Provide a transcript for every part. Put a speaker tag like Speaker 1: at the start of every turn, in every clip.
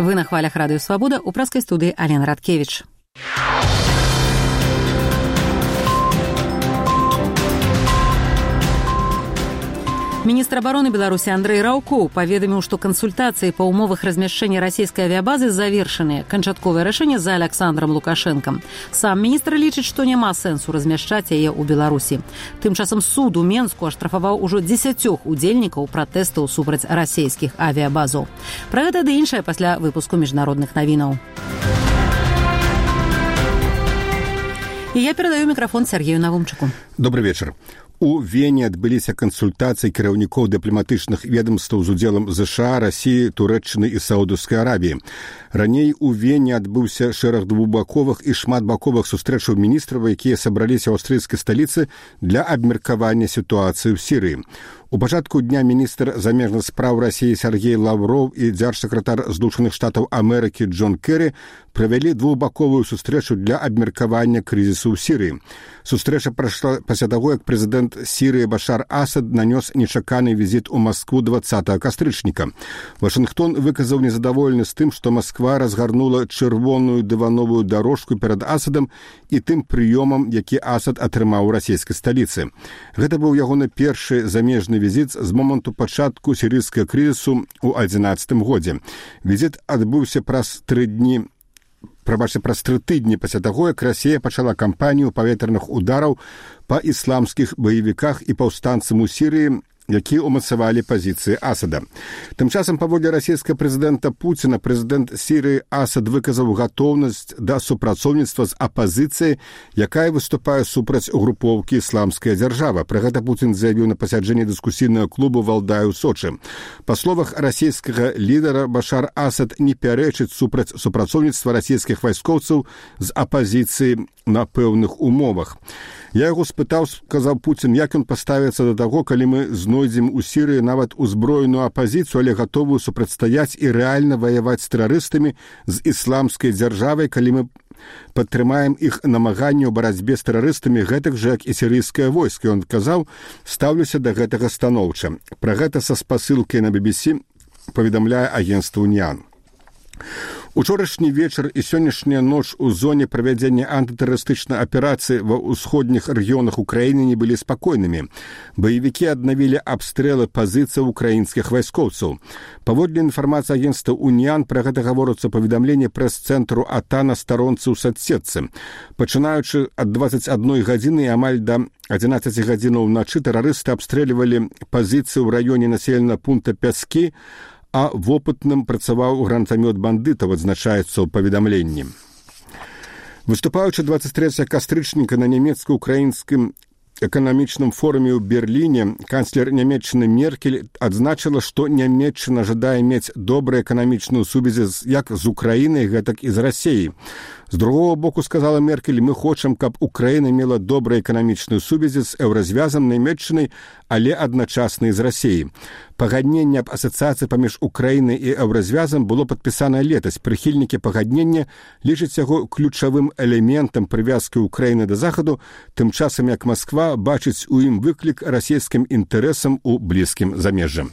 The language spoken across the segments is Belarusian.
Speaker 1: Вы на хвалях Радыё Свабода, у праскай студыі Алена Радкевіч. Министр обороны Беларуси Андрей Раўкоў паведаміў, што кансультацыі па ўмовах размяшчэння расійскай авіябазы завершаныя. Канчатковае рашэнне за Александром Лукашэнкам. Сам міністр лічыць, што няма сэнсу размяшчаць яе ў Беларусі. Тым часам суд у Менску аштрафаваў ужо 10 удзельнікаў пратэстаў супраць расійскіх авіябазаў. Пра гэта ды іншае пасля выпуску міжнародных навінаў. І я перадаю мікрафон Сергею Навумчыку.
Speaker 2: Добрый вечар. У Вене адбыліся кансультацыі кіраўнікоў дыпламатычных ведомстваў з удзелам ЗША, Расіі, Турэччыны і Саудаўскай Арабіі. Раней у Вене адбыўся шэраг двухбаковых і шматбаковых сустрэчаў міністраў, якія сабраліся ў аўстрыйскай сталіцы для абмеркавання сітуацыі ў Сірыі. У пачатку дня міністр замежных спраў Расіі Сергей Лавроў і дзяржсакратар Злучаных Штатаў Амерыкі Джон Керрі правялі двухбаковую сустрэчу для абмеркавання крызісу ў Сірыі. Сустрэча прайшла пасля таго, як прэзідэнт Сірыі Башар Асад нанёс нечаканы візіт у Маскву 20 кастрычніка. Вашынгтон выказаў незадаволены з тым, што Масква разгарнула чырвоную дывановую дарожку перад Асадам і тым прыёмам, які Асад атрымаў у расійскай сталіцы. Гэта быў ягоны першы замежны візіт з моманту пачатку сірыйскага крызісу ў 2011 годзе. Візіт адбыўся праз 3 тыдні пасля таго, як Расія пачала кампанію паветраных удараў па ісламскіх баевіках і паўстанцам у Сірыі, якія ўмацавалі пазіцыі Асада. Тым часам, паводле расійскага прэзідэнта Пуціна, прэзідэнт Сірыі Асад выказаў гатоўнасць да супрацоўніцтва з апазіцыяй, якая выступае супраць групоўкі «Ісламская дзяржава». Пра гэта Пуцін заявіў на пасяджэнні дыскусійнага клубу «Валдай» у Сочы. Па словах расійскага лідара, Башар Асад не пярэчыць супраць супрацоўніцтва расійскіх вайскоўцаў з апазіцыяй на пэўных умовах. Я яго спытаў, сказаў Пуцін, як ён паставіцца да таго, калі мы знойдзем у Сірыі нават узброеную апазіцыю, але гатовую супрацьстаяць і рэальна ваяваць з тэрарыстамі з ісламскай дзяржавай, калі мы падтрымаем іх намаганні ў барацьбе з тэрарыстамі, гэтак жа, як і сірыйскае войска. Ён казаў, стаўлюся да гэтага станоўча. Пра гэта са спасылкай на BBC паведамляе агенцтва «Уніан». Учорашні вечар і сённяшняя ноч у зоне правядзення антытэрарыстычнай аперацыі ва ўсходніх рэгіёнах Украіны не былі спакойнымі. Баевікі аднавілі абстрэлы пазіцый украінскіх вайскоўцаў. Паводле інфармацыі агенцтва «Уніан», пра гэта гаворыцца паведамленне прэс-цэнтру АТА на старонцы ў садсетцы. Пачынаючы ад 21 гадзіны і амаль да 11 гадзінаў уначы тэрарысты абстрэльвалі пазіцыі ў раёне населенага пункта Пяскі, а вопытным працаваў гранатамёт бандытаў, адзначаецца ў паведамленні. Выступаючы 23 кастрычніка на нямецка-украінскім эканамічным форуме ў Берліне, канцлер Нямецчыны Меркель адзначыла, што Нямецчына жадае мець добрыя эканамічную сувязі як з Украінай, гэтак і з Расіяй. З другого боку, сказала Меркель, мы хочам, каб Украіна мела добрыя эканамічную сувязі з еўразвязам Нямецчынай, але адначасна і з Расіяй. Пагадненне аб асацыяцыі паміж Украінай і еўразвязам было падпісана летась. Прыхільнікі пагаднення лічаць яго ключавым элементам прывязкі Украіны да Захаду, тым часам як Масква бачыць у ім выклік расійскім інтарэсам у блізкім замежжы.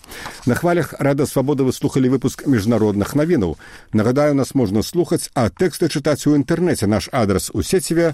Speaker 2: На хвалях Радыё Свабода вы слухалі выпуск міжнародных навінаў. Нагадаю, нас можна слухаць, а тэксты чытаць у інтэрнэце. Наш адрас у сеціве